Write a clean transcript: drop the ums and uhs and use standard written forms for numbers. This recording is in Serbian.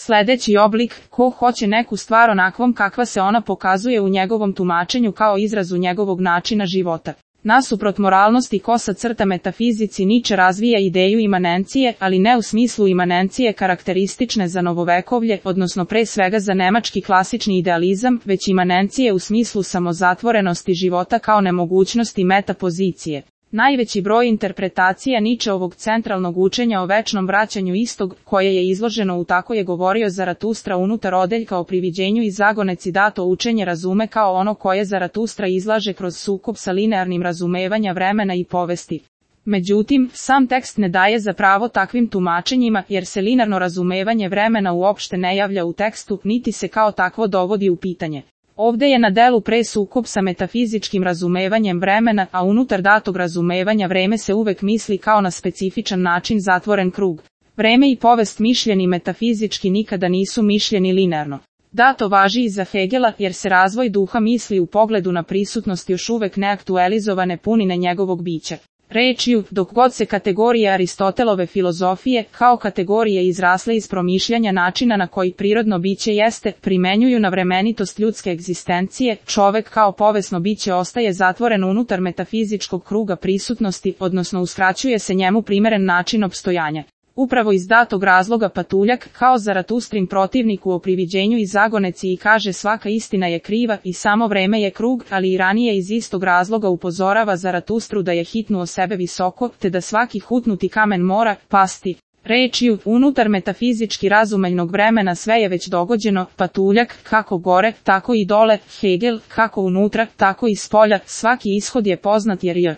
Sledeći oblik, ko hoće neku stvar onakvom kakva se ona pokazuje u njegovom tumačenju kao izrazu njegovog načina života. Nasuprot moralnosti kosa crta metafizici Nietzsche razvija ideju imanencije, ali ne u smislu imanencije karakteristične za novovekovlje, odnosno pre svega za nemački klasični idealizam, već imanencije u smislu samozatvorenosti života kao nemogućnosti metapozicije. Najveći broj interpretacija Nietzscheovog centralnog učenja o večnom vraćanju istog, koje je izloženo u Tako je govorio Zaratustra unutar odeljka o priviđenju i zagoneci dato učenje razume kao ono koje Zaratustra izlaže kroz sukob sa linearnim razumevanja vremena i povesti. Međutim, sam tekst ne daje za pravo takvim tumačenjima, jer se linearno razumevanje vremena uopšte ne javlja u tekstu, niti se kao takvo dovodi u pitanje. Ovde je na delu pre sukob sa metafizičkim razumevanjem vremena, a unutar datog razumevanja vreme se uvek misli kao na specifičan način zatvoren krug. Vreme i povest mišljeni metafizički nikada nisu mišljeni linearno. Dato važi i za Hegela, jer se razvoj duha misli u pogledu na prisutnost još uvek neaktualizovane punine njegovog bića. Rečju, dok god se kategorije Aristotelove filozofije, kao kategorije izrasle iz promišljanja načina na koji prirodno biće jeste, primenjuju na vremenitost ljudske egzistencije, čovek kao povesno biće ostaje zatvoren unutar metafizičkog kruga prisutnosti, odnosno uskraćuje se njemu primeren način opstojanja. Upravo iz datog razloga Patuljak, kao Zaratustrin protivnik u O priviđenju i zagoneci i kaže svaka istina je kriva i samo vreme je krug, ali i ranije iz istog razloga upozorava Zaratustru da je hitnuo sebe visoko, te da svaki hutnuti kamen mora pasti. Rečju, unutar metafizički razumeljnog vremena sve je već dogođeno, Patuljak, kako gore, tako i dole, Hegel, kako unutra, tako i spolja, svaki ishod je poznat jer je